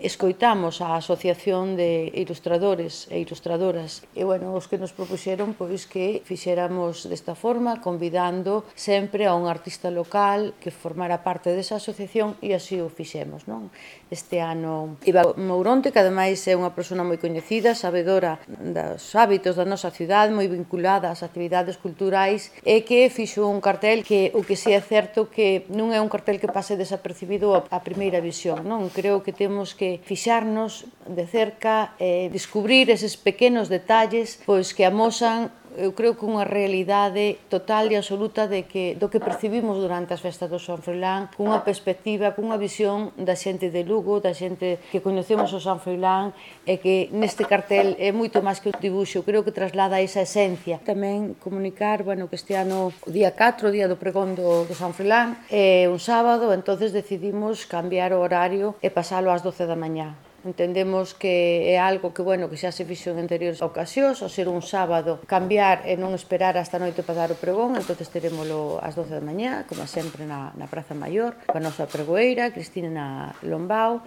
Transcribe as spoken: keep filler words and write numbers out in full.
escoitamos a Asociación de Ilustradores e Ilustradoras e, bueno, os que nos propuxeron pois que fixéramos desta forma, convidando sempre a un artista local que formara parte desa asociación e así o fixemos, non? Este ano Iba Mouronte, que ademais é unha persona moi coñecida, sabedora dos hábitos da nosa cidade, moi vinculada ás actividades culturais e que fixo un cartel que o que si é certo que non é un cartel que pase desapercibido a primeira visión, non? Creo que temos que fixarnos de cerca e descubrir eses pequenos detalles pois que amosan, eu creo que unha realidade total e absoluta de que, do que percibimos durante as festas do San Froilán, cunha perspectiva, cunha visión da xente de Lugo, da xente que coñecemos o San Froilán e que neste cartel é moito máis que un dibuixo, creo que traslada esa esencia. Tamén comunicar, bueno, que este ano o día catro, o día do pregón do, do San Froilán, é un sábado, entonces decidimos cambiar o horario e pasalo ás doce da mañá. Entendemos que é algo que, bueno, que xa se fixo en anteriores ocasións, ao ser un sábado, cambiar e non esperar hasta a noite para dar o pregón, entonces terémolo ás doce da mañá, como sempre na, na Praza Maior, coa nosa pregoeira, Cristina Lombao,